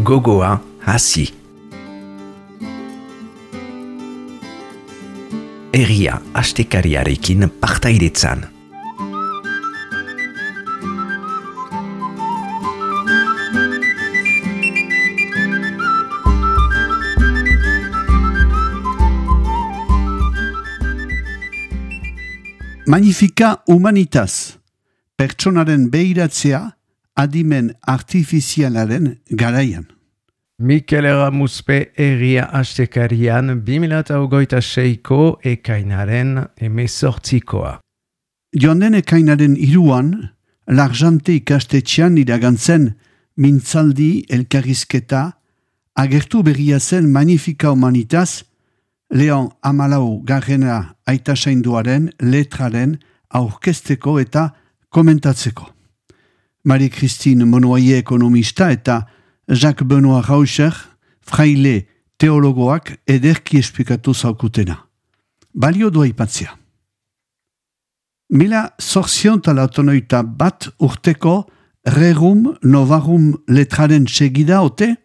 gogoa hasi. Herria astekariarekin partaidetzan. Magnifica Humanitas, pertsonaren behiratzea adimen artifizialaren garaian. Mikel Eramuspe herria astekarian 2026ko ekainaren 18koa. Joan den ekainaren 3an, Larjante ikastetxean iragantzen mintzaldi elkarrizketa agertu berria zen Magnifica Humanitas, Leon Amalau garrena aitasainduaren letraren aurkezteko eta komentatzeko. Marie-Christine Monoyer ekonomista eta Jacques Benoit Rauscher, fraile teologoak ederki esplikatu zaukutena. Balio du aipatzea. 1881 urteko Rerum Novarum letraren segida ote,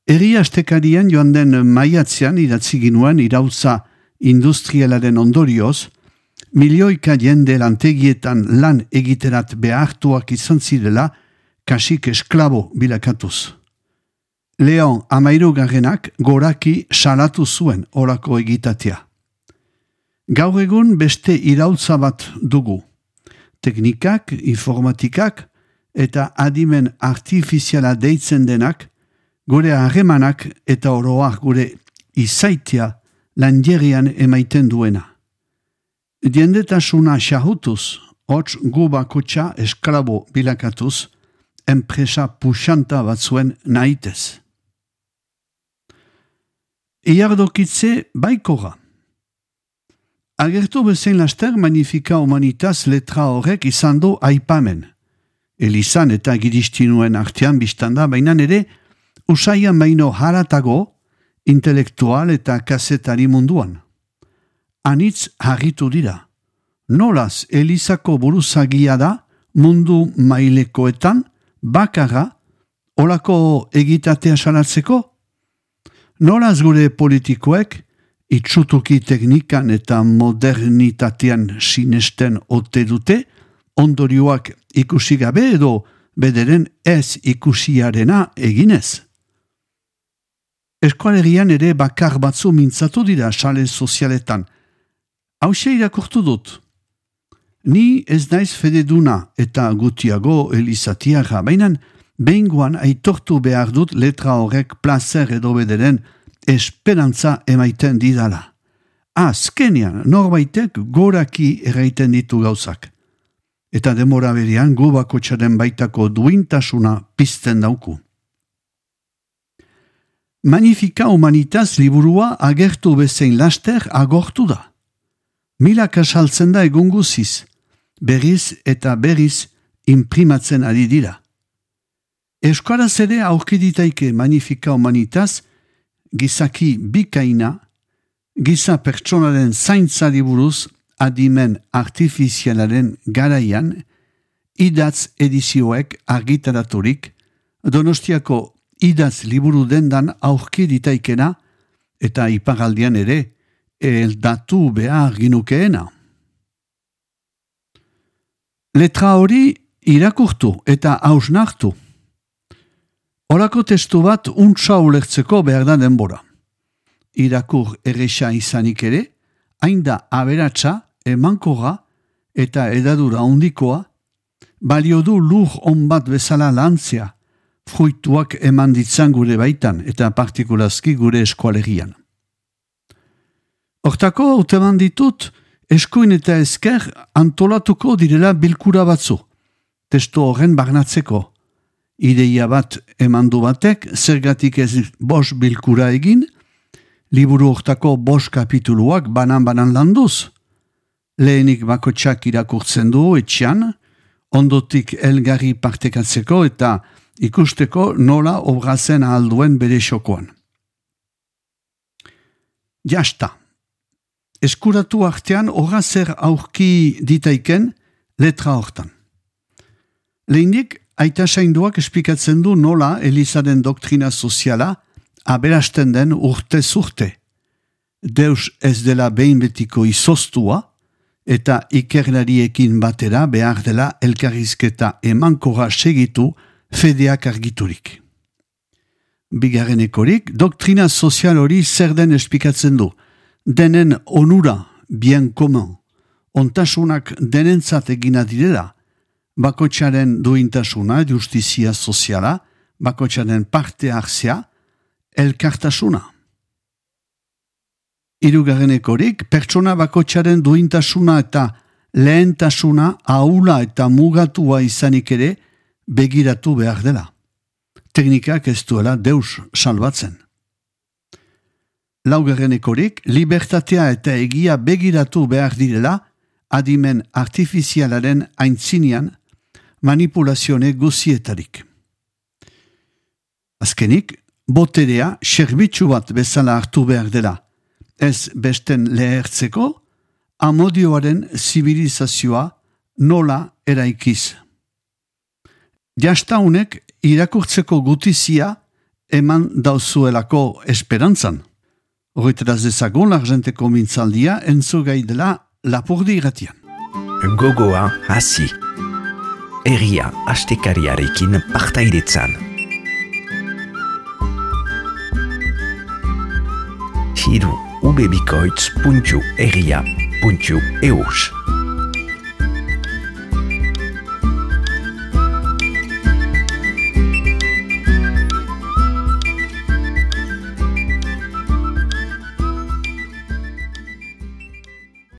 herri astekarian joan den maiatzean idatzi ginuen irautza industrialaren ondorioz, milioika jende lantegietan lan egiterat behartuak izan zirela, kasik esklabo bilakatuz. Leon Amairugarrenak goraki salatu zuen orako egitatea. Gaur egun beste irautza bat dugu. Teknikak, informatikak eta adimen artifiziala deitzen denak, gure harremanak eta oroak gure izaitia lanjerian emaiten duena. Diendetasuna xahutuz, hots gu bakotxa esklabo bilakatuz, enpresa puxanta batzuen nahitez. Iardokitze baikora. Agertu bezain laster Magnifica Humanitas letra horrek izan du aipamen. Elizan eta giristinuen artean biztanda, bainan ere, usaian baino haratago, intelektual eta kazetari munduan. Anitz harritu dira. Nolaz Elizako buruzagia da mundu mailekoetan bakarra olako egitatea salatzeko? Nolaz gure politikoek itxutuki teknikan eta modernitatean sinesten ote dute ondorioak ikusi gabe edo bederen ez ikusiarena eginez? Eskualerian ere bakar batzu mintzatu dira sale sozialetan. Hauxe irakurtu dut. Ni ez naiz fededuna eta gutiago elizatiaga, bainan behingoan aitortu behar dut letra horrek plazer edo bederen esperantza emaiten didala. Azkenean norbaitek goraki erraiten ditu gauzak. Eta demora berean gu bakotxaren baitako duintasuna pizten dauku. Magnifica Humanitas liburua agertu bezain laster agortu da. Milak asaltzen da egun guziz, berriz eta berriz imprimatzen ari dira. Euskaraz ere aurkiditaike Magnifica Humanitas gizaki bikaina, giza pertsonaren zaintzari buruz adimen artifizialaren garaian, idatz edizioek argitaraturik, Donostiako idatz liburu dendan aurkiditaikena eta iparaldian ere eldatu behar ginukeena. Letra hori irakurtu eta hausnartu. Horako testu bat untsa ulertzeko behar da denbora. Irakur erresa izanik ere, hain da aberatsa, emankorra eta edadura ondikoa, balio du lur on bat bezala lantzea, fruituak eman ditzan gure baitan eta partikulazki gure eskualerian. Hortako hauteman ditut, eskuin eta esker antolatuko direla bilkura batzu, testu horren barnatzeko. Ideia bat emandu batek, zergatik ez 5 bilkura egin, liburu hortako 5 kapituluak banan-banan landuz. Lehenik bakotxak irakurtzen du etxean, ondotik elgarri partekatzeko eta ikusteko nola obrazen ahalduen bere xokoan. Jasta. Eskuratu artean horra zer aurki ditaiken letra hortan. Lehenik Aita Sainduak esplikatzen du nola Elizaren doktrina soziala aberasten den urtez urte. Deus ez dela behin betiko izoztua, eta ikerlariekin batera behar dela elkarrizketa emankorra segitu fedeak argiturik. Bigarrenekorik, doktrina sozial hori zer den esplikatzen du. Denen onura, bien commun, ontasunak denentzat egina direla, bakoitzaren duintasuna, justizia soziala, bakoitzaren parte hartzea, elkartasuna. Hirugarrenekorik, pertsona bakoitzaren duintasuna eta lehentasuna ahula eta mugatua izanik ere begiratu behar dela. Teknikak ez duela Deus salbatzen. Laugarrenekorik, libertatea eta egia begiratu behar direla adimen artifizialaren aintzinean manipulazione guzietarik. Azkenik, boterea serbitzu bat bezala hartu behar dela, ez besten lehertzeko, amodioaren zibilizazioa nola eraikiz. Jastaunek irakurtzeko gutizia eman dauzuelako esperantzan. Horretaz dezagun l'argenteko mintzaldia entzugai dela Lapurdi irratian. Gogoa hasi. Herria astekariarekin partaidetzan. Hiru ubebikoitz.herria.eus